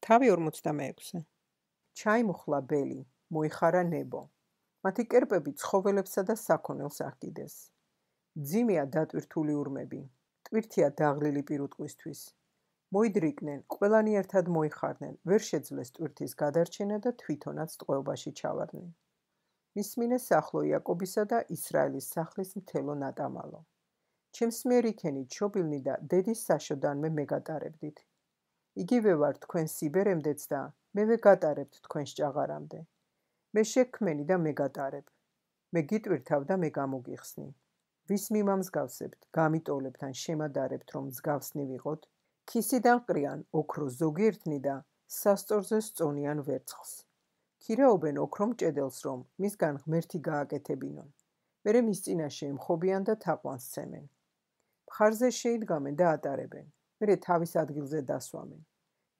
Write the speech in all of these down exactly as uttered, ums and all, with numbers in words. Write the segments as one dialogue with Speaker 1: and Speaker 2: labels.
Speaker 1: თავი ორმოცდამეექვსე.
Speaker 2: ჩაიმუხლა ბელი, მოიხარა ნებო. მათი კერპები ცხოველებსა და საქონელს აღკიდეს. ძიმია დატვირთული ურმები, ტვირთია დაღლილი პირუტყვისთვის. მოიდრიკნენ, ყველანი ერთად მოიხარდნენ, ვერ შეძლეს ტვირთის გადარჩენა და თვითონაც ტყვეობაში ჩავარდნენ. მისმინეს ახლო იაკობისა და ისრაელის სახლის მთელო ნატამალო. ჩემს მიერ იქენით შობილნი და დედის საშოდანმე მეგატარებდით. იგივე ვარ თქვენ სიბერემდეც და მევე გატარებთ თქვენს ჭაღარამდე. მე შექმენი და მეგატარებ. მე გიტვირთავ და მე გამოგიხსნი. ვის მიმამსგავსებთ, გამიტოლებთ ან შემადარებთ, რომ მსგავსნი ვიყოთ, ქისიდან ყრიან ოქრო ზოგიერთნი და სასწორზე სწონიან ვერცხლს. ქირაობენ ოქრომ ჭედელს, რომ მისგან ღმერთი გააკეთებინონ. მერე მის წინაშე ემხობიან და თაყვანს ცემენ. მხარზე შეიდგამენ და ატარებენ. მერე თავის ადგილზე დასვამენ.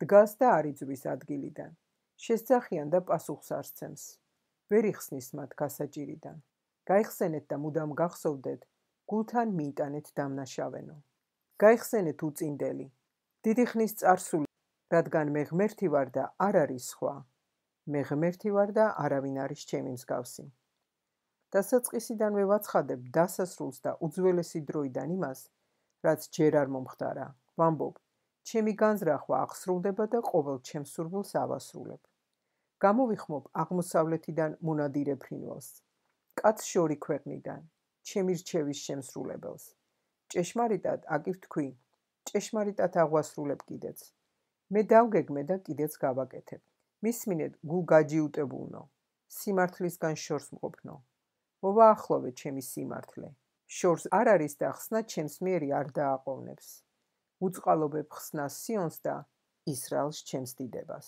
Speaker 2: დგას და არ იძვრის ადგილიდან. შესძახიან და პასუხს არ სცემს. ვერ იხსნის მათ გასაჭირიდან. გაიხსენეთ და მუდამ გახსოვდეთ, გულთან მიიტანეთ დამნაშავენო. გაიხსენეთ უწინდელი. დიდი ხნის წარსული, რადგან მე ღმერთი ვარ და არ არის სხვა. მე ღმერთი ვარ და არავინ არის ჩემი მსგავსი. დასაწყისიდანვე ვაცხადებ დასასრულს და უძველესი დროიდან იმას, რაც ჯერ არ მომხდარა. ვამბობ, ჩემი განზრახვა აღსრულდება და ყოველ ჩემს სურვილს ავასრულებ. გამოვიხმობ აღმოსავლეთიდან მონადირე ფრინველს. კაც შორი ქვეყნიდან, ჩემი რჩევის შემსრულებელს. ჭეშმარიტად აკი ვთქვი, ჭეშმარიტად აღვასრულებ კიდეც. მე დავგეგმე და კიდეც გავაკეთებ. მისმინეთ გულ გაჯიუტებულნო, სიმართლისგან შორს მყოფნო. მოვაახლოვე ჩემი სიმართლე. შორს არ არის და ხსნა ჩემს მიერი არ დააყოვნებს. უწყალობებ ხსნას სიონს და ისრაელს ჩემს დიდებას.